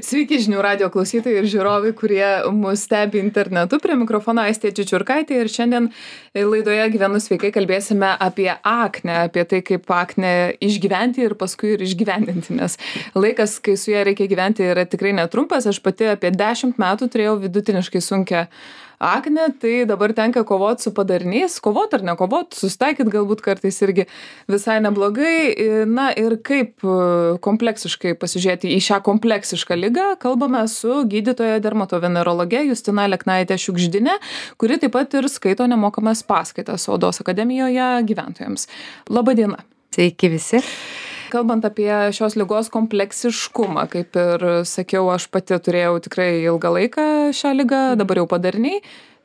Sveiki žinių radio klausytojai ir žiūrovai, kurie mus stebi internetu. Prie mikrofono Aistė Čičiurkaitė ir šiandien laidoje Gyvenu sveikai kalbėsime apie aknę, apie tai, kaip aknę išgyventi ir paskui ir išgyvendinti, nes laikas, kai su ja reikia gyventi, yra tikrai netrumpas. Aš pati apie 10 metų turėjau vidutiniškai sunkią aknę, tai dabar tenka kovoti su padariniais, kovoti ar nekovoti, susitaikyti galbūt kartais irgi visai neblogai. Na ir kaip kompleksiškai pasižiūrėti į šią kompleksišką ligą, kalbame su gydytoja dermatovenerologe Justina Leknaitė Šiugždinė, kuri taip pat ir skaito nemokamas paskaitas Odos akademijoje gyventojams. Labą dieną. Sveiki visi. Kalbant apie šios ligos kompleksiškumą, kaip ir sakiau, aš pati turėjau tikrai ilgą laiką šią ligą, dabar jau padariniai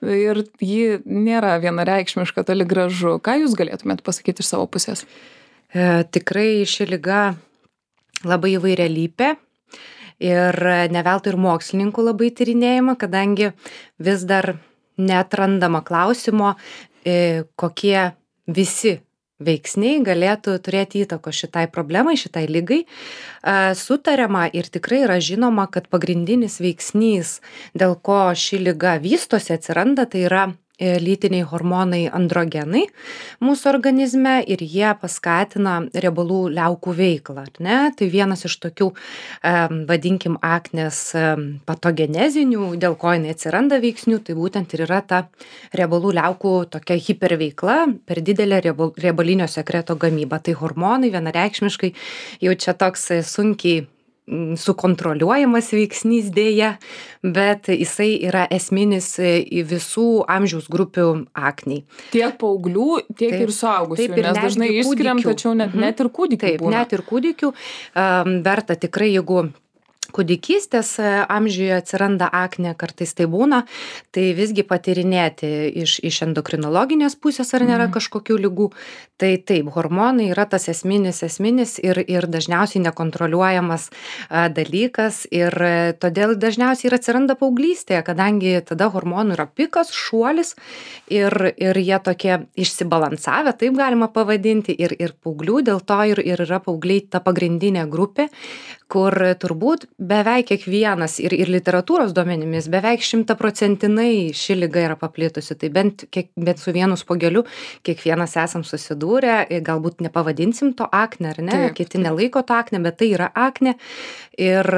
ir ji nėra vienareikšmiška, toli gražu. Ką jūs galėtumėt pasakyti iš savo pusės? Tikrai ši liga labai įvairialypė ir ne veltui ir mokslininkų labai tyrinėjama, kadangi vis dar neatrandama klausimo, kokie visi veiksniai galėtų turėti įtako šitai problemai, šitai ligai. Sutariama ir tikrai yra žinoma, kad pagrindinis veiksnys, dėl ko ši liga vystosi, atsiranda, tai yra lytiniai hormonai androgenai mūsų organizme ir jie paskatina riebalų liaukų veiklą. Ne? Tai vienas iš tokių, vadinkim, aknės patogenezinių, dėl ko jinai atsiranda veiksnių, tai būtent ir yra ta riebalų liaukų tokia hiperveikla, per didelė riebalinio sekreto gamyba. Tai hormonai vienareikšmiškai jau čia toks sunkiai sukontroliuojamas veiksnys dėja, bet jisai yra esminis visų amžiaus grupių akniai. Tiek paauglių, tiek ir suaugusių, nes dažnai išskiriam, tačiau net ir kūdikių būna. Net ir kūdikių verta tikrai, jeigu kūdikystės amžiuje atsiranda aknė, kartais tai būna, tai visgi patyrinėti iš endokrinologinės pusės, ar nėra kažkokių ligų. Tai taip, hormonai yra tas esminis ir dažniausiai nekontroliuojamas dalykas ir todėl dažniausiai ir atsiranda paauglystėje, kadangi tada hormonų yra pikas, šuolis ir jie tokie išsibalansavę, taip galima pavadinti, ir paauglių, dėl to ir yra paaugliai ta pagrindinė grupė, kur turbūt beveik kiekvienas ir literatūros duomenimis beveik 100% ši liga yra paplitusi. Tai bent su vienu spuogeliu kiekvienas esam susidūrę, galbūt nepavadinsim to akne, ar ne? Taip. Kiti nelaiko to akne, bet tai yra akne ir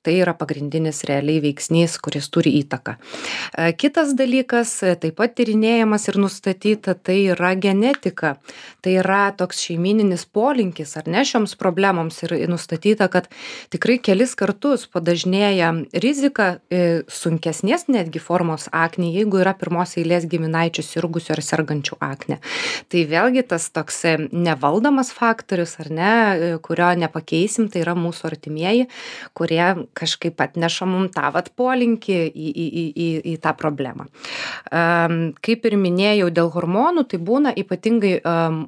tai yra pagrindinis realiai veiksnys, kuris turi įtaką. Kitas dalykas, taip pat tyrinėjamas ir nustatyta, tai yra genetika. Tai yra toks šeimininis polinkis, ar ne, šioms problemoms ir nustatyta, kad tikrai kelis kartus padažnėja rizika sunkesnės netgi formos aknė, jeigu yra pirmos eilės giminaičių sirgusių ar sergančių aknė. Tai vėlgi tas toks nevaldomas faktorius, ar ne, kurio nepakeisim, tai yra mūsų artimieji, kurie kažkaip atneša mum tą polinkį į tą problemą. Kaip ir minėjau, dėl hormonų, tai būna ypatingai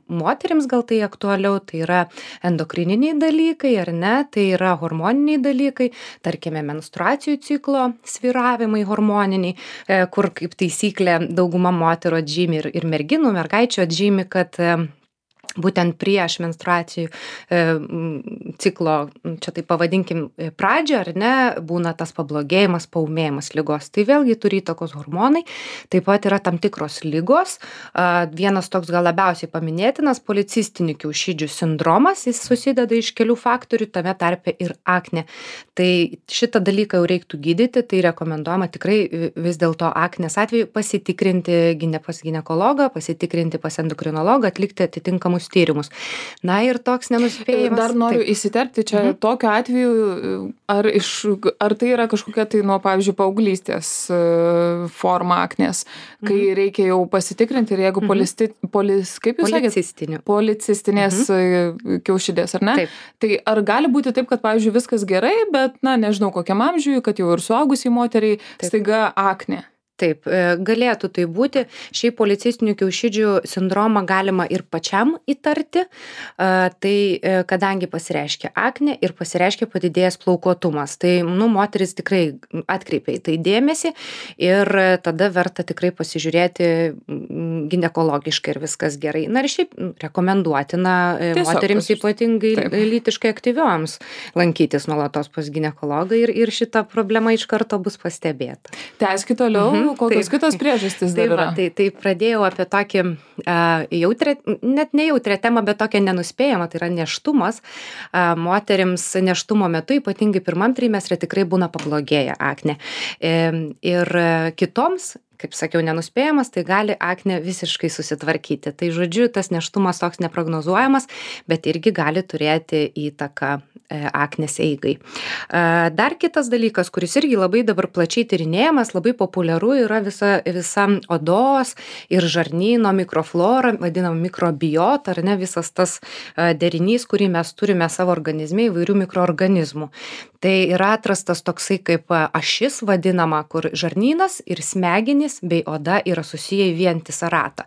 moterims gal tai aktualiau, tai yra endokrininiai dalykai, ar ne, tai yra hormoniniai dalykai, tarkime menstruacijų ciklo svyravimai hormoniniai, kur kaip taisyklė dauguma moterų atžymi ir merginų, mergaičių atžymi, kad būtent prieš menstruacijų ciklo, čia tai pavadinkim pradžią, ar ne, būna tas pablogėjimas, paūmėjimas ligos. Tai vėlgi turi įtakos hormonai, taip pat yra tam tikros ligos. Vienas toks gal labiausiai paminėtinas policistinių kiaušidžių sindromas, jis susideda iš kelių faktorių, tame tarpe ir aknė. Tai šitą dalyką jau reiktų gydyti, tai rekomenduojama tikrai vis dėlto aknės atveju pasitikrinti pas ginekologą, pasitikrinti pas endokrinologą, atlikti atitinkamus tyrimus. Na ir toks nenuspėjimas. Dar noriu įsiterpti čia tokiu atveju, ar tai yra kažkokia tai nuo, pavyzdžiui, paauglystės forma aknės, kai reikia jau pasitikrinti ir jeigu policistinės kiaušidės, ar ne? Taip. Tai ar gali būti taip, kad, pavyzdžiui, viskas gerai, bet, nežinau, kokiam amžiui, kad jau ir suaugusiai moteriai staiga aknė? Taip, galėtų tai būti. Šiaip policistinių kiaušidžių sindromą galima ir pačiam įtarti, kadangi pasireiškia aknė ir pasireiškia padidėjęs plaukuotumas. Tai, moteris tikrai atkreipia į tai dėmesį ir tada verta tikrai pasižiūrėti ginekologiškai ir viskas gerai. Na ir šiaip rekomenduotina moterims ypatingai lytiškai aktyvioms lankytis nuolatos pas ginekologą ir šita problema iš karto bus pastebėta. Tęskit toliau. Kokios kitos priežastys dar yra? Tai pradėjau apie tokį jautrę, net ne jautrę temą, bet tokią nenuspėjamą, tai yra nėštumas. Moterims nėštumo metu, ypatingai pirmam trimestre, tikrai būna pablogėję aknė. Ir kitoms, kaip sakiau, nenuspėjamas, tai gali aknė visiškai susitvarkyti. Tai žodžiu, tas nėštumas toks neprognozuojamas, bet irgi gali turėti įtaką aknės eigai. Dar kitas dalykas, kuris irgi labai dabar plačiai tyrinėjamas, labai populiaru yra visa odos ir žarnyno mikroflora, vadinama mikrobiota, ar ne, visas tas derinys, kurį mes turime savo organizme įvairių mikroorganizmų. Tai yra atrastas toksai kaip ašis vadinama, kur žarnynas ir smegenys bei oda yra susiję į vientisą ratą.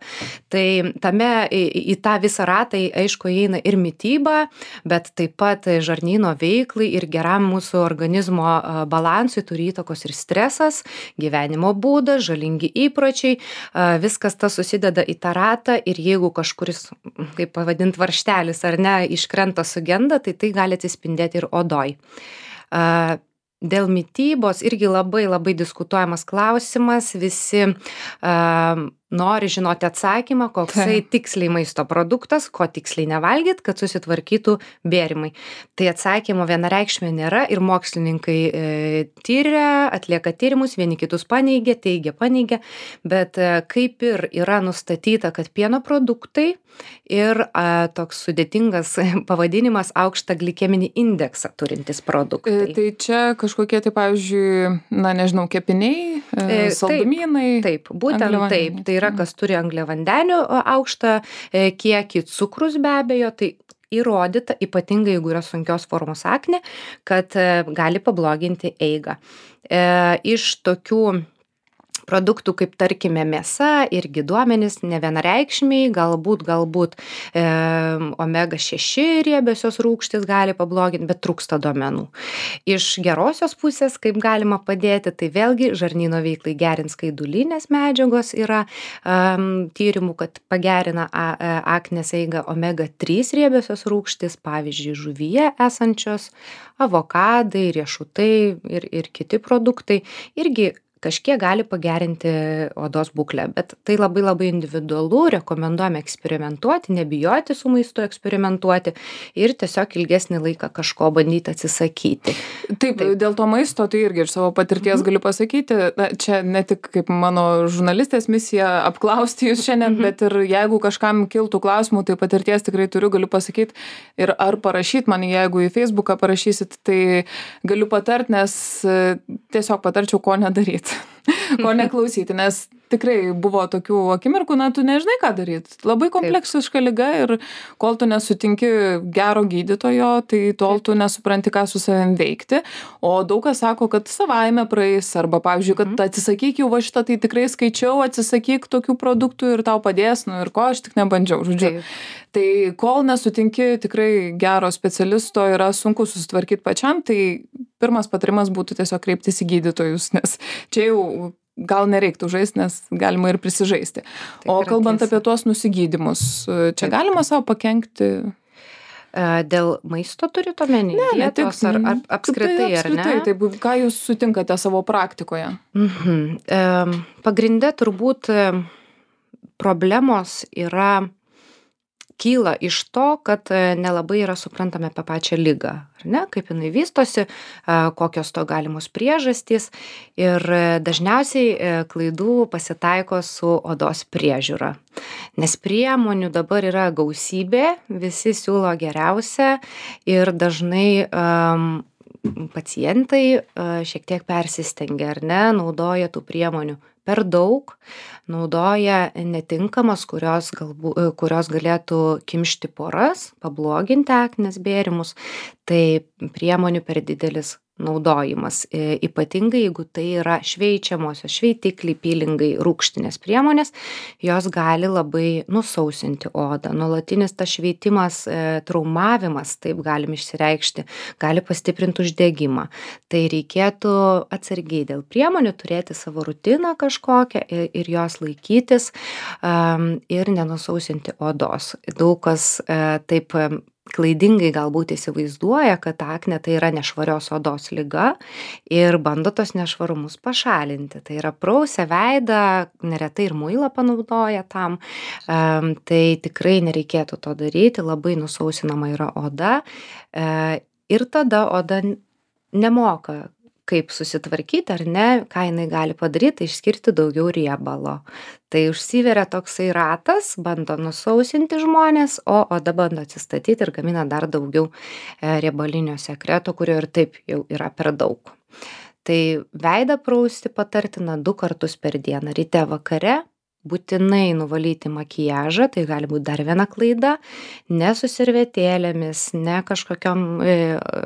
Tai į tą visą ratą, aišku, įeina ir mityba, bet taip pat žarnyno veiklai ir geram mūsų organizmo balansui turi įtakos ir stresas, gyvenimo būdas, žalingi įpročiai, viskas tas susideda į tą ratą ir jeigu kažkuris, kaip pavadint, varžtelis ar ne, iškrenta, sugenda, tai gali atsispindėti ir odoj. Dėl mitybos irgi labai labai diskutuojamas klausimas, visi nori žinoti atsakymą, koksai tiksliai maisto produktas, ko tiksliai nevalgyt, kad susitvarkytų bėrimai. Tai atsakymo vienareikšmio nėra ir mokslininkai tyria, atlieka tyrimus, vieni kitus paneigia, paneigia, bet kaip ir yra nustatyta, kad pieno produktai ir toks sudėtingas pavadinimas aukštą glikeminį indeksą turintis produktai. Tai čia kažkokie, tai pavyzdžiui, kepiniai, saldumynai. Taip, būtent taip. Tai yra, kas turi angliavandenių aukštą kiekį, cukrus be abejo, tai įrodyta, ypatingai jeigu yra sunkios formos aknė, kad gali pabloginti eigą. Iš tokių produktų, kaip tarkime mėsa, irgi duomenys nevienareikšmiai, galbūt omega 6 riebiosios rūgštys gali pabloginti, bet trūksta duomenų. Iš gerosios pusės, kaip galima padėti, tai vėlgi žarnyno veiklai gerins skaidulinės medžiagos yra tyrimų, kad pagerina aknės eigą omega 3 riebiosios rūgštys, pavyzdžiui, žuvyje esančios, avokadai, riešutai ir kiti produktai irgi kažkiek gali pagerinti odos būklę, bet tai labai labai individualu, rekomenduojame eksperimentuoti, nebijoti su maistu eksperimentuoti ir tiesiog ilgesnį laiką kažko bandyti atsisakyti. Taip, dėl to maisto, tai irgi iš savo patirties galiu pasakyti, čia ne tik kaip mano žurnalistės misija apklausti jūs šiandien, bet ir jeigu kažkam kiltų klausimų, tai patirties tikrai galiu pasakyti ir ar parašyti man, jeigu į Facebooką parašysit, tai galiu patarti, nes tiesiog patarčiau, ko nedaryti. Ko neklausyti, nes tikrai buvo tokių akimirkų, tu nežinai, ką daryti. Labai kompleksiška liga ir kol tu nesutinki gero gydytojo, tai tol tu nesupranti, ką su savim veikti. O daug kas sako, kad savaime praeis, arba, pavyzdžiui, kad atsisakyk jau šitą, tai tikrai skaičiau, atsisakyk tokių produktų ir tau padės, ir ko aš tik nebandžiau, žodžiu. Tai kol nesutinki tikrai gero specialisto, yra sunku susitvarkyti pačiam, tai pirmas patarimas būtų tiesiog kreiptis į gydytojus, nes čia jau gal nereiktų žaisti, nes galima ir prisižaisti. O kalbant apie tuos nusigydymus, čia galima savo pakenkti? Dėl maisto turite omeny? Ne tik, ar apskritai, ar ne? Taip, ką jūs sutinkate savo praktikoje? Pagrinde turbūt problemos kyla iš to, kad nelabai yra suprantame apie pačią ligą, ar ne, kaip jinai vystosi, kokios to galimos priežastys ir dažniausiai klaidų pasitaiko su odos priežiūra. Nes priemonių dabar yra gausybė, visi siūlo geriausią ir dažnai pacientai šiek tiek persistengia, ar ne, naudoja tų priemonių per daug, naudoja netinkamas, kurios galėtų kimšti poras, pabloginti aknės bėrimus, tai priemonių per didelis naudojimas. Ypatingai, jeigu tai yra šveičiamosios, šveitikliai, pylingai, rūgštinės priemonės, jos gali labai nusausinti odą. Nuolatinis tas šveitimas, traumavimas, taip galim išsireikšti, gali pastiprinti uždegimą. Tai reikėtų atsargiai dėl priemonių turėti savo rutiną kažkokią ir jos laikytis ir nenusausinti odos. Daug kas taip klaidingai galbūt įsivaizduoja, kad aknė tai yra nešvarios odos liga ir bando tos nešvarumus pašalinti. Tai yra prausia veidą, neretai ir muilą panaudoja tam. Tai tikrai nereikėtų to daryti, labai nusausinama yra oda ir tada oda nemoka kaip susitvarkyti ar ne, ką jinai gali padaryti, išskirti daugiau riebalo. Tai užsiveria toksai ratas, bando nusausinti žmonės, o oda bando atsistatyti ir gamina dar daugiau riebalinio sekreto, kurio ir taip jau yra per daug. Tai veidą prausti patartina 2 kartus per dieną, ryte vakare. Būtinai nuvalyti makiažą, tai gali būti dar viena klaida, ne su servetėlėmis, ne kažkokiom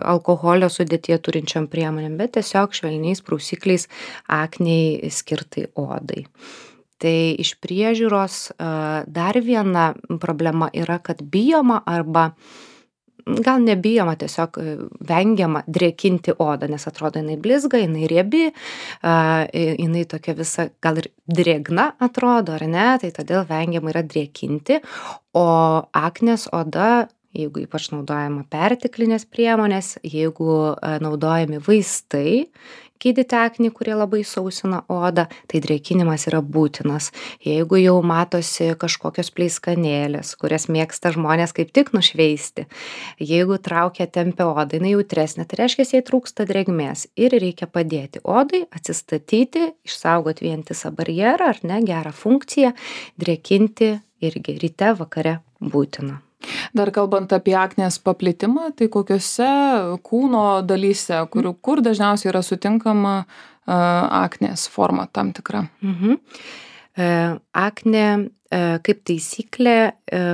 alkoholio sudėtyje turinčiom priemonėm, bet tiesiog švelniais prausikliais aknei skirtai odai. Tai iš priežiūros dar viena problema yra, kad bijoma arba gal nebijoma, tiesiog vengiama drėkinti odą, nes atrodo jinai blizga, jinai riebi, jinai tokia visa gal ir drėgna atrodo, ar ne, tai todėl vengiama yra drėkinti, o aknės oda, jeigu ypač naudojama perteklinės priemonės, jeigu naudojami vaistai, gydyti aknį, kurie labai sausina odą, tai drėkinimas yra būtinas. Jeigu jau matosi kažkokios pleiskanėlės, kurias mėgsta žmonės kaip tik nušveisti, jeigu traukia tempia odą, jinai jautresnė, tai reiškia, jai trūksta drėgmės ir reikia padėti odai atsistatyti, išsaugoti vientisą barjerą ar ne, gerą funkciją, drėkinti irgi ryte, vakare būtina. Dar kalbant apie aknės paplitimą, tai kokiose kūno dalyse, kur dažniausiai yra sutinkama aknės forma tam tikra? Aknė, kaip taisyklė,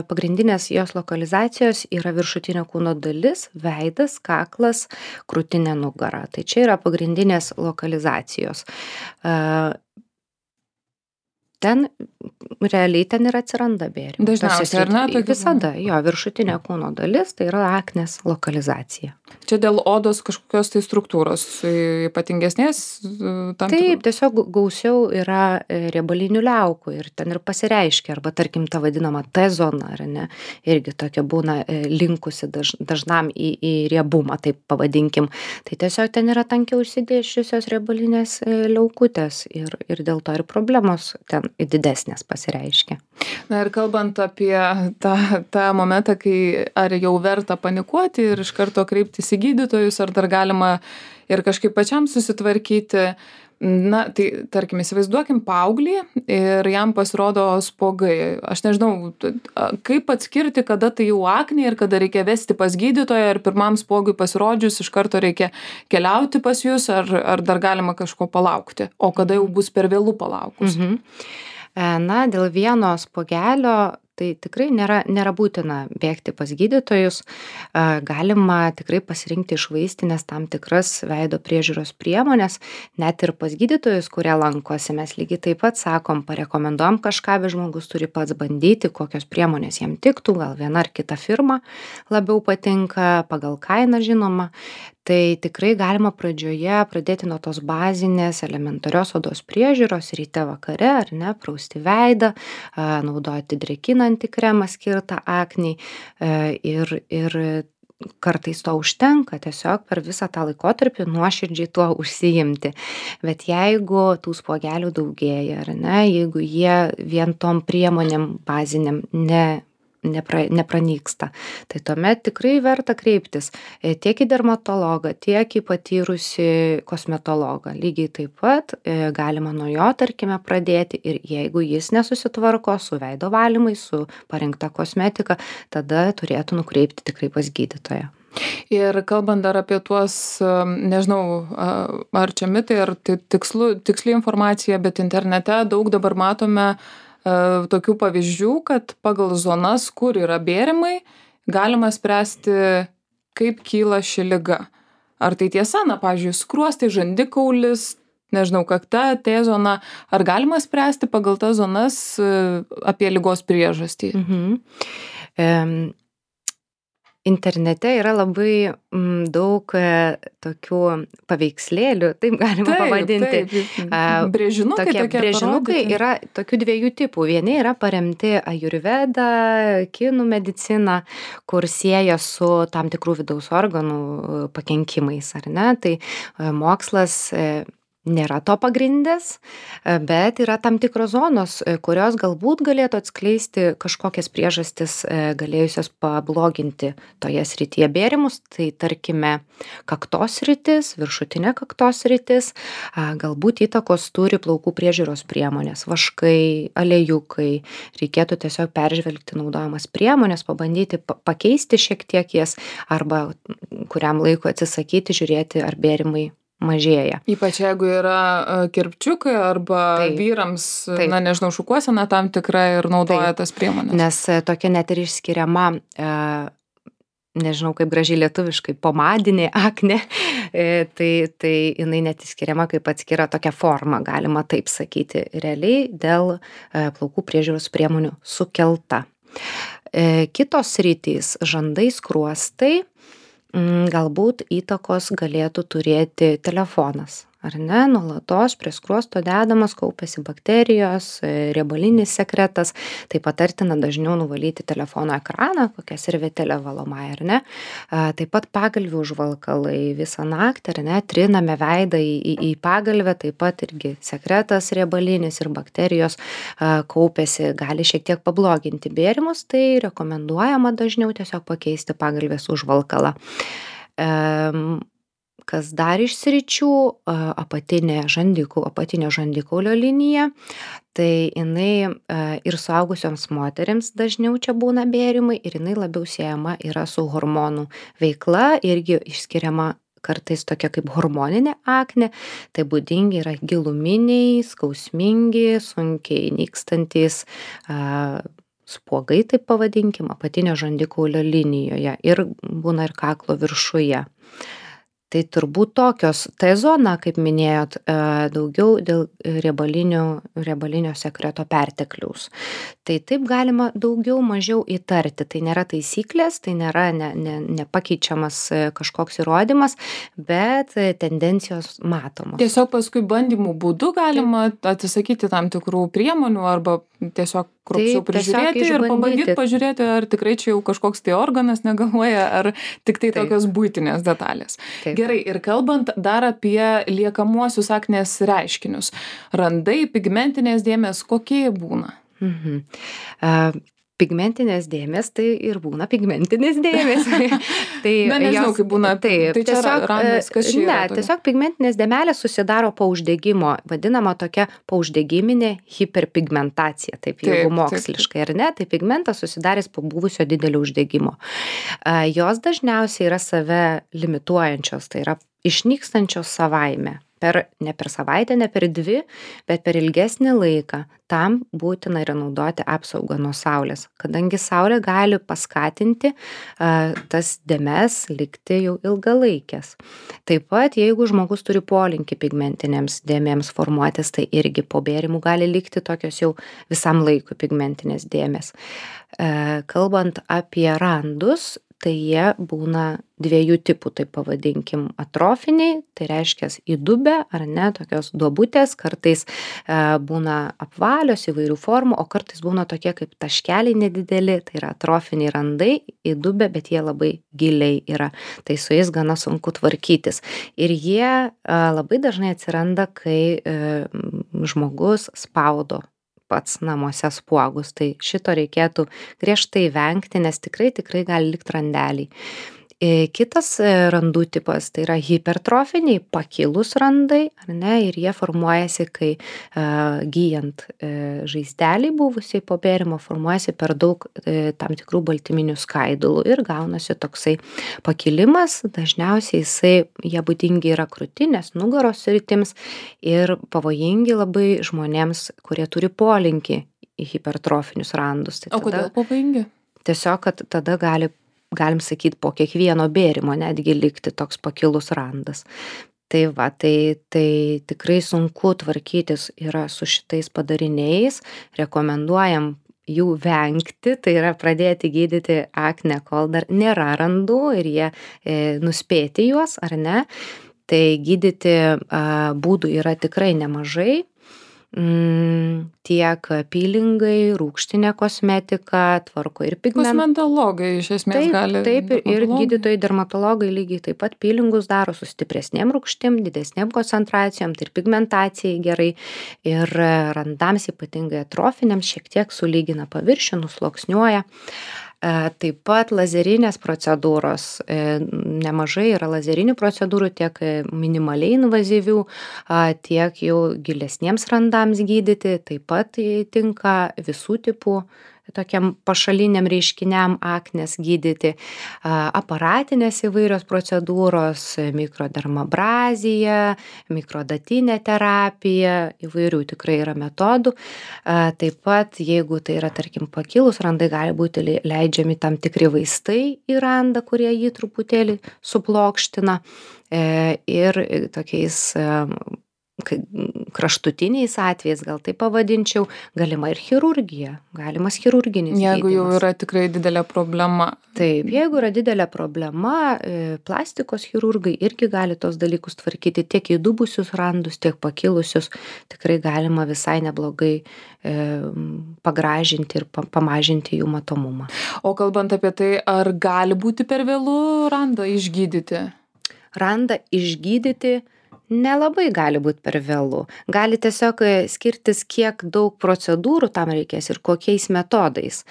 pagrindinės jos lokalizacijos yra viršutinė kūno dalis, veidas, kaklas, krūtinė, nugara. Tai čia yra pagrindinės lokalizacijos. Ten realiai ten ir atsiranda bėrimai. Dažniausiai, ar ne? Visada, jo, viršutinė kūno dalis, tai yra aknės lokalizacija. Čia dėl odos kažkokios tai struktūros ypatingesnės? Taip, tiesiog gausiau yra riebalinių liaukų ir ten ir pasireiškia, arba tarkim ta vadinama T-zona, ar ne, irgi tokia būna linkusi dažnam į riebumą, taip pavadinkim. Tai tiesiog ten yra tankiau užsidėsčiusios riebalinės liaukutės ir dėl to ir problemos ten didesnės pasireiškia. Na ir kalbant apie tą momentą, kai ar jau verta panikuoti ir iš karto kreiptis į gydytojus, ar dar galima ir kažkaip pačiam susitvarkyti. Na, tai tarkim, įsivaizduokim paauglį ir jam pasirodo spuogai. Aš nežinau, kaip atskirti, kada tai jau aknė ir kada reikia vesti pas gydytoją, ar pirmam spuogui pasirodžius iš karto reikia keliauti pas jūs, ar dar galima kažko palaukti, o kada jau bus per vėlu palaukus. Na, dėl vieno spuogelio tai tikrai nėra būtina bėgti pas gydytojus. Galima tikrai pasirinkti iš vaistinės tam tikras veido priežiūros priemonės, net ir pas gydytojus, kurie lankosi. Mes lygiai taip pat sakom, parekomenduojam kažką, bet žmogus turi pats bandyti, kokios priemonės jam tiktų, gal viena ar kita firma labiau patinka, pagal kainą žinoma. Tai tikrai galima pradžioje pradėti nuo tos bazinės elementarios odos priežiūros, ryte vakare, ar ne, prausti veidą, naudoti drėkinantį kremą skirtą aknei ir kartais to užtenka, tiesiog per visą tą laikotarpį nuoširdžiai tuo užsiimti. Bet jeigu tų spuogelių daugėja, ar ne, jeigu jie vien tom priemonėm baziniam nepranyksta, tai tuomet tikrai verta kreiptis tiek į dermatologą, tiek į patyrusį kosmetologą. Lygiai taip pat galima nuo jo, tarkime, pradėti ir jeigu jis nesusitvarko su veido valymais, su parinkta kosmetika, tada turėtų nukreipti tikrai pas gydytoją. Ir kalbant dar apie tuos, nežinau, ar čia mitai, ar tai tiksli informacija, bet internete daug dabar matome tokių pavyzdžių, kad pagal zonas, kur yra bėrimai, galima spręsti, kaip kyla ši liga. Ar tai tiesa, na, pavyzdžiui, skruostai, žandikaulis, nežinau, kakta, T zona, ar galima spręsti pagal tas zonas apie ligos priežastį? Internete yra labai daug tokių paveikslėlių, taip galima pavadinti. Brėžinukai tokie brėžinukai yra tokių dviejų tipų. Vieni yra paremti ajurveda, kinų medicina, kur sieja su tam tikrų vidaus organų pakenkimais, ar ne? Tai mokslas nėra to pagrindęs, bet yra tam tikros zonos, kurios galbūt galėtų atskleisti kažkokias priežastis galėjusios pabloginti toje srityje bėrimus. Tai tarkime kaktos sritis, viršutinė kaktos sritis, galbūt įtakos turi plaukų priežiūros priemonės, vaškai, aliejukai. Reikėtų tiesiog peržvelgti naudojamas priemonės, pabandyti pakeisti šiek tiek jas arba kuriam laikui atsisakyti, žiūrėti, ar bėrimai mažėja. Ypač jeigu yra kirpčiukai arba vyrams, na nežinau, šukuosena tam tikra ir naudoja tas priemonės. Nes tokia net ir išskiriama, nežinau kaip gražiai lietuviškai, pomadinė aknė, tai jinai net išskiriama kaip atskira tokia forma, galima taip sakyti, realiai dėl plaukų priežiūros priemonių sukelta. Kitos sritys, žandai, skruostai, galbūt įtakos galėtų turėti telefonas, ar ne? Nuolatos prie skruosto dedamas, kaupiasi bakterijos, riebalinis sekretas, tai patartina dažniau nuvalyti telefono ekraną, kokią servetėlę valomąją, ar ne? Taip pat pagalvių užvalkalai visą naktį, ar ne? Triname veidą į pagalvę, taip pat irgi sekretas riebalinis ir bakterijos kaupiasi, gali šiek tiek pabloginti bėrimus, tai rekomenduojama dažniau tiesiog pakeisti pagalvės užvalkalą. Kas dar iš sričių, apatinė žandikaulio linija, tai jinai ir suaugusioms moterims dažniau čia būna bėrimai ir jinai labiau siejama yra su hormonų veikla, irgi išskiriama kartais tokia kaip hormoninė aknė, tai būdingi yra giluminiai, skausmingi, sunkiai nykstantys spuogai, taip pavadinkim, apatinio žandikaulio linijoje ir būna ir kaklo viršuje. Tai turbūt tokios, T zona, kaip minėjot, daugiau dėl riebalinio sekreto pertekliaus. Tai taip galima daugiau mažiau įtarti, tai nėra taisyklės, tai nėra nepakeičiamas kažkoks įrodymas, bet tendencijos matomos. Tiesiog paskui bandymų būdu galima atsisakyti tam tikrų priemonių arba tiesiog kruopščiau prižiūrėti ir pabandyti pažiūrėti, ar tikrai čia jau kažkoks tai organas negaluoja, ar tik tai tokios buitinės detalės. Gerai, ir kalbant dar apie liekamuosius aknės reiškinius. Randai, pigmentinės dėmės, kokie būna? Pigmentinės dėmės, tai ir būna pigmentinės dėmės. Tai na, nežinau, kaip būna. Tai čia randas, kas čia yra? Ne, tiesiog pigmentinės dėmelės susidaro po uždegimo, vadinama tokia pauždegiminė hiperpigmentacija, taip jeigu moksliškai, ar ne? Tai pigmentas susidarys po buvusio didelio uždegimo. Jos dažniausiai yra save limituojančios, tai yra išnykstančios savaime. Ne per savaitę, ne per 2, bet per ilgesnį laiką. Tam būtina yra naudoti apsaugą nuo saulės, kadangi saulė gali paskatinti tas dėmes likti jau ilgalaikės. Taip pat, jeigu žmogus turi polinkį pigmentinėms dėmėms formuotis, tai irgi po bėrimų gali likti tokios jau visam laikui pigmentinės dėmės. Kalbant apie randus, tai jie būna 2 tipų, taip pavadinkim, atrofiniai, tai reiškia įdubę ar ne, tokios duobutės, kartais būna apvalios įvairių formų, o kartais būna tokie kaip taškeliai nedideli, tai yra atrofiniai randai, įdubę, bet jie labai giliai yra, tai su jais gana sunku tvarkytis. Ir jie labai dažnai atsiranda, kai žmogus spaudo pats namuose spuogus, tai šito reikėtų griežtai vengti, nes tikrai gali likti randeliai. Kitas randų tipas tai yra hipertrofiniai, pakilus randai, ar ne, ir jie formuojasi, kai gyjant žaizdelį buvusiai po bėrimo formuojasi per daug tam tikrų baltyminių skaidulų ir gaunasi toksai pakilimas. Dažniausiai jie būdingi yra krūtinės, nugaros sritims ir pavojingi labai žmonėms, kurie turi polinkį į hipertrofinius randus. O kodėl pavojingi? Tiesiog, kad tada galim sakyti, po kiekvieno bėrimo netgi likti toks pakilus randas. Tai tikrai sunku tvarkytis yra su šitais padariniais, rekomenduojam jų vengti, tai yra pradėti gydyti aknę, kol dar nėra randų ir jie nuspėti juos, ar ne. Tai gydyti būdų yra tikrai nemažai. Tiek peelingai, rūgštinė kosmetika, tvarko ir Kosmetologai iš esmės gali. Taip, ir gydytojai dermatologai lygiai taip pat peelingus daro su stipresnėm rūgštim, didesnėm koncentracijom, tai ir pigmentacijai gerai, ir randams ypatingai atrofiniams šiek tiek sulygina paviršių, nusluoksniuoja. Taip pat lazerinės procedūros, nemažai yra lazerinių procedūrų, tiek minimaliai invazyvių, tiek jau gilesniems randams gydyti, taip pat tinka visų tipų tokiam pašaliniam reiškiniam aknės gydyti, aparatinės įvairios procedūros, mikrodermabrazija, mikrodatinė terapija, įvairių tikrai yra metodų. Taip pat, jeigu tai yra, tarkim, pakilus randai, gali būti leidžiami tam tikri vaistai į randą, kurie jį truputėlį suplokština, ir tokiais kraštutiniais atvejais, gal tai pavadinčiau, galima ir chirurgija, galimas chirurginis gydymas. Jeigu jau yra tikrai didelė problema. Taip, jeigu yra didelė problema, plastikos chirurgai irgi gali tos dalykus tvarkyti, tiek įdubusius randus, tiek pakilusius, tikrai galima visai neblogai pagražinti ir pamažinti jų matomumą. O kalbant apie tai, ar gali būti per vėlu randą išgydyti? Randą išgydyti nelabai gali būti per vėlu. Gali tiesiog skirtis, kiek daug procedūrų tam reikės ir kokiais metodais.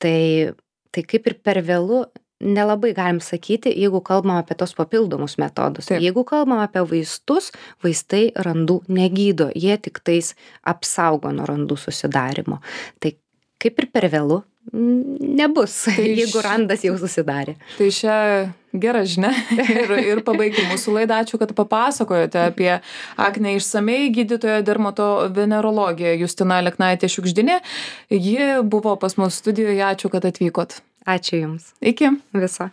Tai kaip ir per vėlu nelabai galim sakyti, jeigu kalbam apie tos papildomus metodus. Taip. Jeigu kalbam apie vaistus, vaistai randų negydo, jie tik tais apsaugo nuo randų susidarimo. Tai kaip ir per vėlu nebus, jeigu randas jau susidarė. Tai šią gerą žinią ir pabaigti mūsų laidą. Ačiū, kad papasakojote apie aknę išsamei. Gydytoja dermatovenerologė Justina Aleknaitė-Šiugždinė. Ji buvo pas mus studijoje. Ačiū, kad atvykot. Ačiū Jums. Iki. Viso.